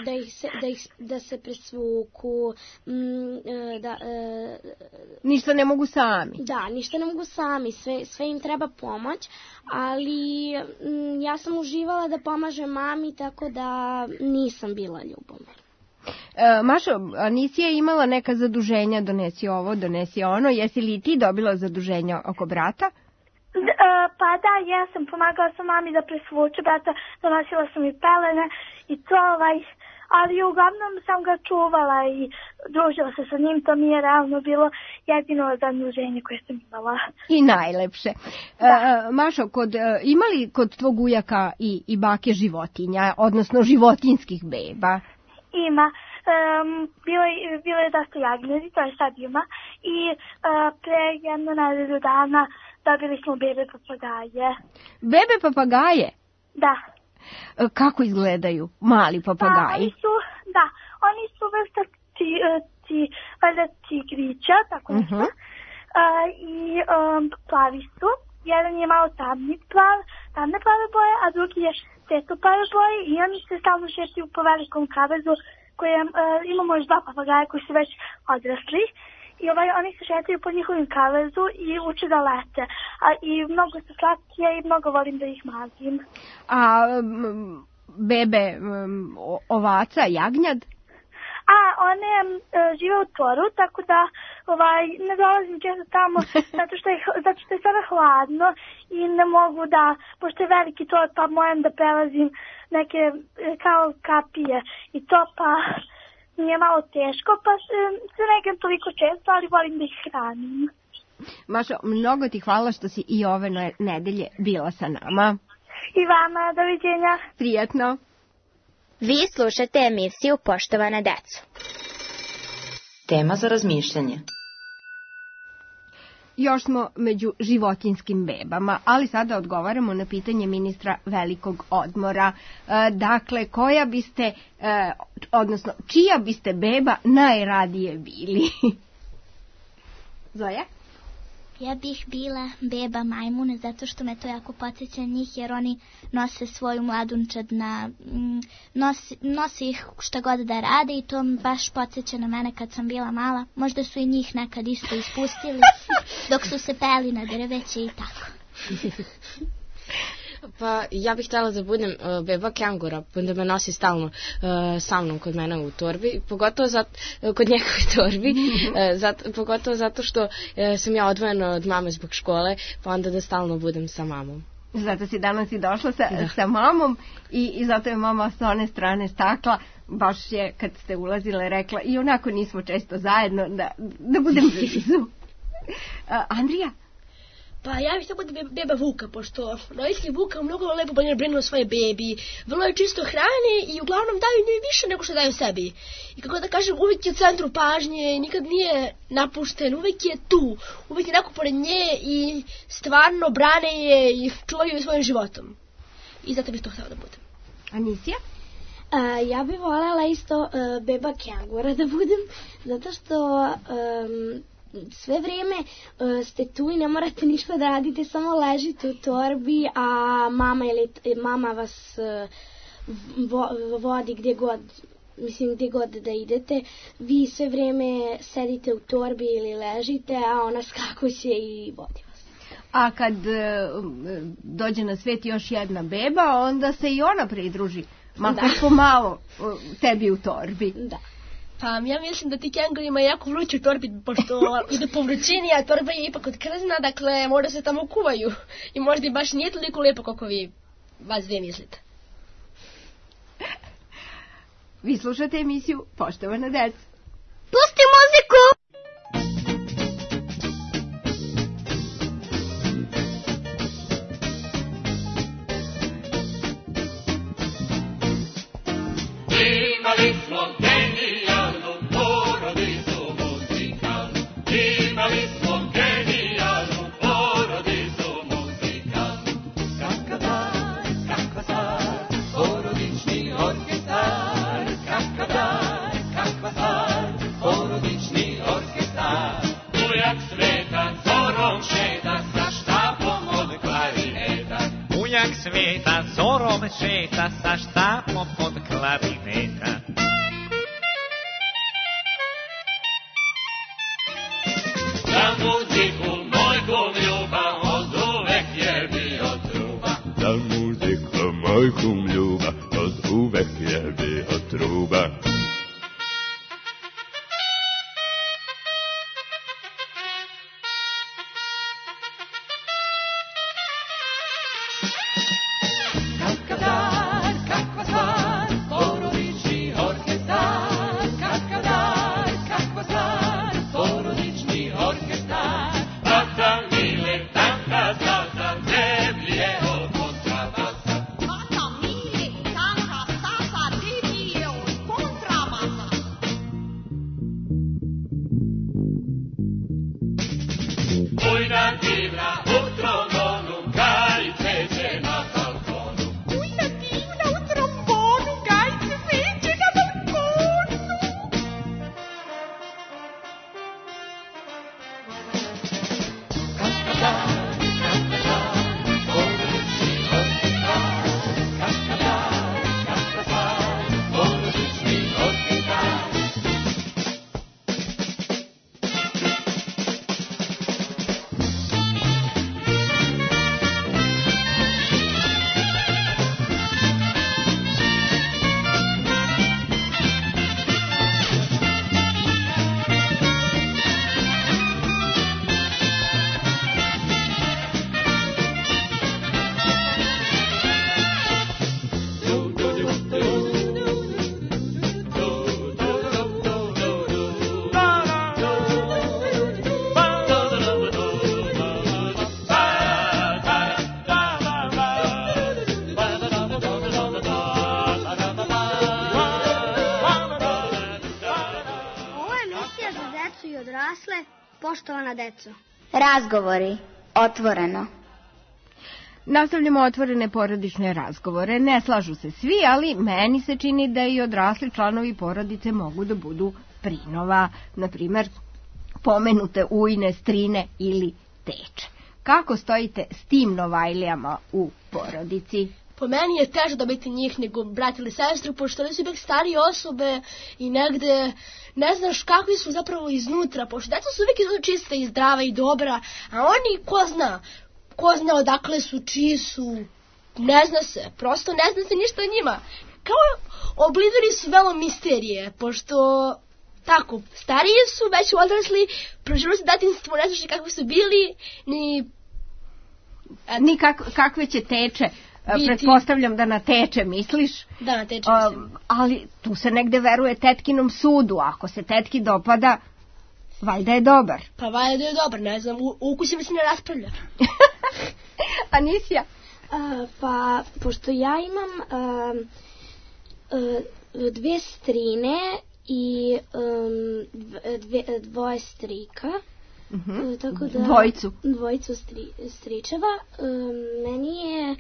da, ih se, da, ih, da se presvuku, um, da... Uh, ništa ne mogu sami. Da, ništa ne mogu sami, sve, sve im treba pomoć, ali m, ja sam uživala da pomažem mami, tako da nisam bila ljubomorna. E, Mašo, nisi je imala neka zaduženja, donesi ovo, donesi ono, jesi li ti dobila zaduženja oko brata? D, uh, pa da, ja sam pomagala sam mami da presvuče brata, donosila sam i pelene i to ovaj, ali uglavnom sam ga čuvala i družila se sa njim, to mi je realno bilo jedino zaduženje koje sam imala. I najlepše. Da. E, Mašo, kod, ima li kod tvog ujaka i, i bake životinja, odnosno životinskih beba? Ima. Um, bilo, je, bilo je dosta jagnjadi, to je sad ima. I uh, pre jedno nedelju dana dobili smo bebe papagaje. Bebe papagaje? Da. E, kako izgledaju mali papagaji? Pa, oni su, da, oni su vrsta ti, ti, valjda tigrića, tako nešto. Uh-huh. Uh, I um, plavi su. Jedan je malo tamni plav, tamne plave boje, a drugi je svetlo plave boje i oni se stalno šećaju po velikom kavezu koje uh, imamo još dva papagaja koji su već odrasli. I ovaj, oni se šetaju po njihovim kavezu i uče da lete. A, I mnogo su slatke i mnogo volim da ih mazim. A m, bebe m, ovaca, jagnjad? A, one e, žive u Toru, tako da ovaj, ne dolazim često tamo zato što, je, zato što je sada hladno i ne mogu da, pošto je veliki Tor, pa moram da prelazim neke kao kapije i to pa mi je malo teško, pa se, se nekam toliko često, ali volim da ih hranim. Mašo, mnogo ti hvala što si i ove nedelje bila sa nama. I vama, doviđenja. Prijatno. Vi slušate emisiju Poštovana deco. Tema za razmišljanje. Još smo među životinjskim bebama, ali sada odgovaramo na pitanje ministra velikog odmora. E, dakle, koja biste, e, odnosno, čija biste beba najradije bili? Zoja? Ja bih bila beba majmuna zato što me to jako podsjeća njih jer oni nose svoju mladunčad na, nosi, nosi ih šta god da rade i to baš podsjeća na mene kad sam bila mala. Možda su i njih nekad isto ispustili dok su se peli na drveće i tako. Pa ja bih htjela da budem uh, beba kengura, da me nosi stalno uh, sa mnom kod mene u torbi, pogotovo zato, uh, kod njegove torbi, uh, zato, pogotovo zato što uh, sam ja odvojena od mame zbog škole, pa onda da stalno budem sa mamom. Zato si danas i došla sa, sa mamom i, i zato je mama s one strane stakla, baš je kad ste ulazile rekla i onako nismo često zajedno da, da budem blizu. Uh, Andrija? Pa ja bih da budem beba Vuka, pošto roditelji Vuka mnogo lepo bolje brinu o svoje bebi, vrlo je čisto hrane i uglavnom daju njoj više nego što daju sebi. I kako da kažem, uvijek je u centru pažnje, nikad nije napušten, uvijek je tu, uvijek je neko pored nje i stvarno brane je i čuvaju je svojim životom. I zato bih to htjela da budem. Anisija? Uh, ja bih voljela isto uh, beba kengura da budem, zato što um, sve vrijeme uh, ste tu i ne morate ništa da radite, samo ležite u torbi, a mama, ili, mama vas uh, vo, vodi gdje god, mislim gdje god da idete. Vi sve vrijeme sedite u torbi ili ležite, a ona skakuće i vodi vas. A kad uh, dođe na svijet još jedna beba, onda se i ona pridruži, makar pomalo uh, tebi u torbi. Da. Pa ja mislim da ti kenguri imaju jako vruću u torbi, pošto ide po vrućini, a torba je ipak od krzna, dakle možda se tamo kuvaju. I možda i baš nije toliko lijepo kako vi vas dvije mislite. Vi slušate emisiju Poštovana deca. Pusti muziku! Imali smo genijalnu porodicu muzikalnu, imali smo genijalnu porodicu muzikalnu. Kakva dar, kakva stvar, porodični orkestar, kakva dar, kakva stvar, porodični orkestar. Ujak sveta zorom šeta sa štapom od klarineta. Ujak sveta zorom šeta sa štapom od klarineta. Za muziku moj kum ljubav od uvek je bio truba. Za muziku moj kum ljubav od uvek je bio truba. Contra poštovana deco. Razgovori. Otvoreno. Nastavljamo otvorene porodične razgovore. Ne slažu se svi, ali meni se čini da i odrasli članovi porodice mogu da budu prinova. Naprimer, pomenute ujne, strine ili teče. Kako stojite s tim novajlijama u porodici? Po meni je teže dobiti njih nego brat ili sestru, pošto oni su ipak starije osobe i negde ne znaš kakvi su zapravo iznutra, pošto deca su uvijek iznutra čista i zdrava i dobra, a oni ko zna, ko zna odakle su, čiji su, ne zna se, prosto ne zna se ništa o njima. Kao oblidori su velo misterije, pošto tako, stariji su, već odrasli, proživali su detinjstvo, ne znaš kakvi su bili, ni... Ni kak, kakve će teče. Biti. Pretpostavljam da na teče misliš. Da, na teče mislim. Uh, ali tu se negde veruje tetkinom sudu. Ako se tetki dopada, valjda je dobar. Pa valjda je dobar, ne znam, u ukusima se ne raspravlja. Anisija? Uh, pa, pošto ja imam uh, uh, dve strine i um, dve, dvoje strika. Uh-huh. Uh, tako da, dvojicu. Dvojicu stri, stričeva. Uh, meni je uh,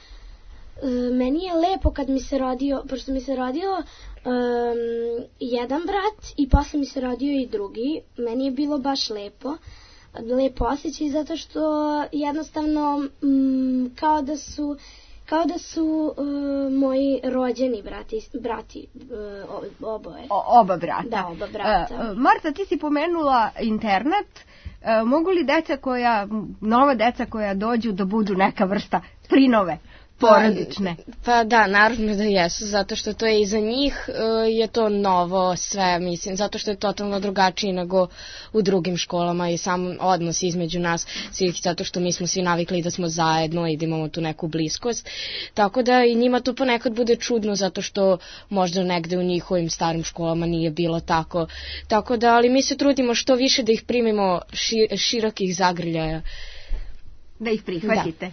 meni je lepo kad mi se rodio, pošto mi se rodio um, jedan brat i posle mi se rodio i drugi. Meni je bilo baš lepo. Lepo osjećaj zato što jednostavno um, kao da su kao da su uh, moji rođeni brati, brati uh, oboje. O, oba brata. Da, oba brata. Uh, Marta, ti si pomenula internet. Uh, mogu li deca koja, nova deca koja dođu da budu neka vrsta prinove porodične? Pa, pa da, naravno da jesu, zato što to je i za njih uh, je to novo sve, mislim, zato što je totalno drugačije nego u drugim školama i sam odnos između nas svih, zato što mi smo svi navikli da smo zajedno i da imamo tu neku bliskost, tako da i njima to ponekad bude čudno zato što možda negde u njihovim starim školama nije bilo tako, tako da, ali mi se trudimo što više da ih primimo šir, širokih zagrljaja. Da ih prihvatite. Da.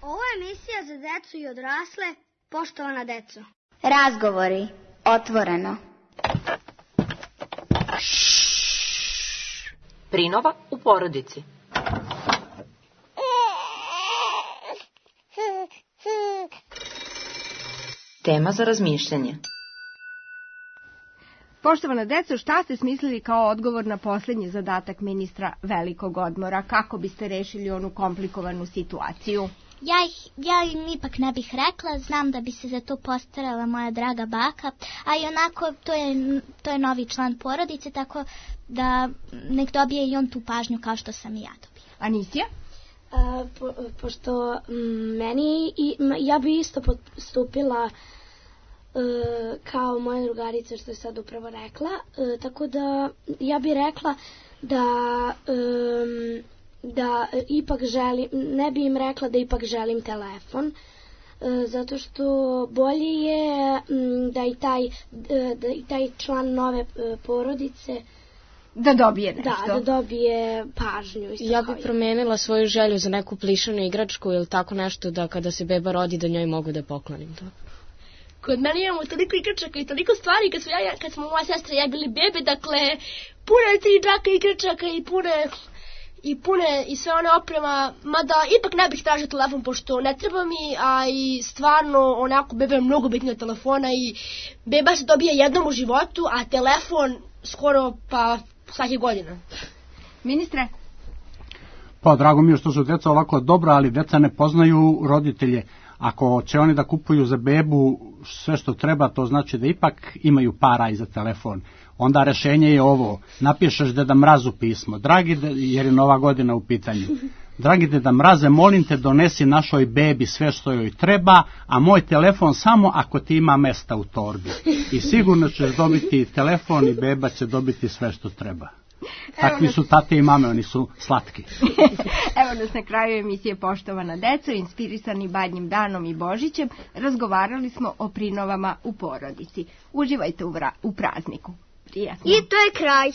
Ovo je emisija za decu i odrasle, poštovana deco. Razgovori. Otvoreno. Prinova u porodici. Tema za razmišljanje. Poštovana deco, šta ste smislili kao odgovor na posljednji zadatak ministra velikog odmora? Kako biste rešili onu komplikovanu situaciju? Ja, ja im ipak ne bih rekla, znam da bi se za to postarala moja draga baka, a i onako to je, to je novi član porodice, tako da nek dobije i on tu pažnju kao što sam i ja dobila. Anisija? Uh, po, pošto m, meni, i, m, ja bi isto postupila uh, kao moja drugarica što je sad upravo rekla, uh, tako da ja bi rekla da... Um, da ipak želim, ne bi im rekla da ipak želim telefon, zato što bolje je da i taj, da i taj član nove porodice da dobije nešto. Da, da dobije pažnju. Ja bi promenila svoju želju za neku plišanu igračku ili tako nešto da kada se beba rodi da njoj mogu da poklonim to. Kod mene imamo toliko igračaka i toliko stvari kad smo, ja, kad smo moja sestra i ja bili bebe, dakle pune tri džaka igračaka i pune... i pune i sve one oprema, mada ipak ne bih tražio telefon pošto ne treba mi, a i stvarno onako beba je mnogo bitnija od telefona i beba se dobija jednom u životu, a telefon skoro pa svake godine. Ministre? Pa drago mi je što su deca ovako dobra, ali deca ne poznaju roditelje. Ako će oni da kupuju za bebu sve što treba, to znači da ipak imaju para i za telefon. Onda rešenje je ovo, napišeš Deda Mrazu pismo, dragi, de, jer je nova godina u pitanju. Dragi Deda Mraze, molim te donesi našoj bebi sve što joj treba, a moj telefon samo ako ti ima mesta u torbi. I sigurno ćeš dobiti telefon i beba će dobiti sve što treba. Takvi su tate i mame, oni su slatki. Evo nas na kraju emisije Poštovana deco, inspirisani Badnjim danom i Božićem, razgovarali smo o prinovama u porodici. Uživajte u, vra- u prazniku. Prijatno. I to je kraj.